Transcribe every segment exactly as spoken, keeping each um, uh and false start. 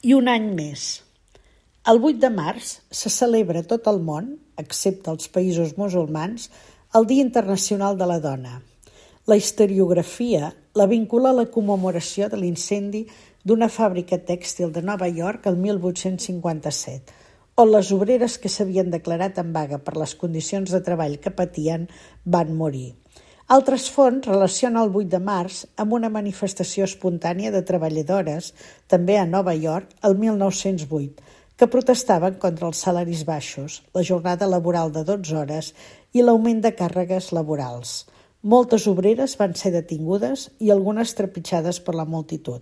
i un any més. El vuit de març se celebra a tot el món, excepte als països musulmans, el Dia Internacional de la Dona. La historiografia la vincula a la commemoració de l'incendi d'una fàbrica tèxtil de Nova York el mil vuit-cents cinquanta-set, on les obreres que s'havien declarat en vaga per les condicions de treball que patien van morir. Altres fonts relacionen el vuit de març amb una manifestació espontània de treballadores, també a Nova York, el mil nou-cents vuit, que protestaven contra els salaris baixos, la jornada laboral de dotze hores i l'augment de càrregues laborals. Moltes obreres van ser detingudes i algunes trepitjades per la multitud.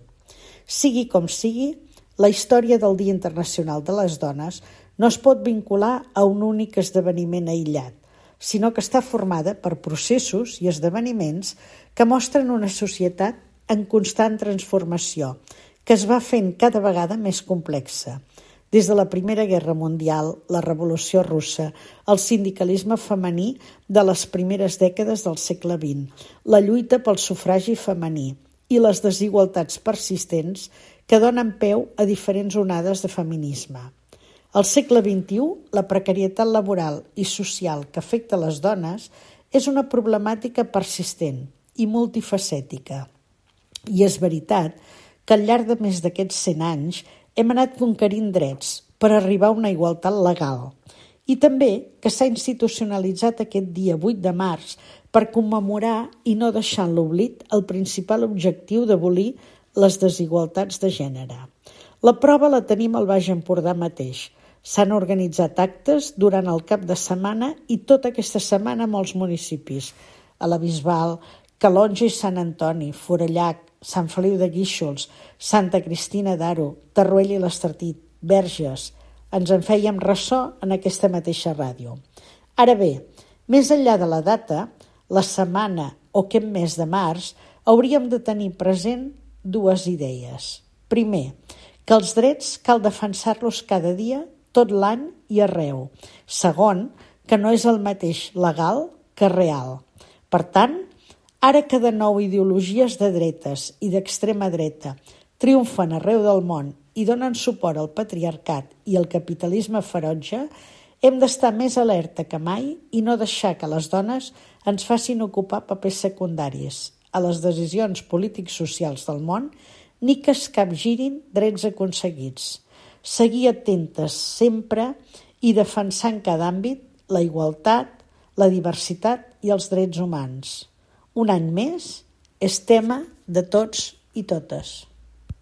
Sigui com sigui, la història del Dia Internacional de les Dones no es pot vincular a un únic esdeveniment aïllat, sinó que està formada per processos i esdeveniments que mostren una societat en constant transformació, que es va fent cada vegada més complexa. Des de la Primera Guerra Mundial, la Revolució Russa, el sindicalisme femení de les primeres dècades del segle vint, la lluita pel sufragi femení i les desigualtats persistents que donen peu a diferents onades de feminisme. Al segle vint-i-u, la precarietat laboral i social que afecta les dones és una problemàtica persistent i multifacètica. I és veritat que al llarg de més d'aquests cent anys hem anat conquerint drets per arribar a una igualtat legal i també que s'ha institucionalitzat aquest dia vuit de març per commemorar i no deixar en l'oblit el principal objectiu d'abolir les desigualtats de gènere. La prova la tenim al Baix Empordà mateix. S'han organitzat actes durant el cap de setmana i tota aquesta setmana a molts municipis, a la Bisbal, Calonge i Sant Antoni, Forallac, Sant Feliu de Guíxols, Santa Cristina d'Aro, Tarruella i l'Estartit, Verges. Ens en fèiem ressò en aquesta mateixa ràdio. Ara bé, més enllà de la data, la setmana o aquest mes de març, hauríem de tenir present dues idees. Primer, que els drets cal defensar-los cada dia, tot l'any i arreu. Segon, que no és el mateix legal que real. Per tant, ara que de nou ideologies de dretes i d'extrema dreta triomfen arreu del món i donen suport al patriarcat i al capitalisme ferotge, hem d'estar més alerta que mai i no deixar que les dones ens facin ocupar papers secundaris a les decisions polítics-socials del món ni que es capgirin drets aconseguits. Seguir atentes sempre i defensar en cada àmbit la igualtat, la diversitat i els drets humans. Un any més és tema de tots i totes.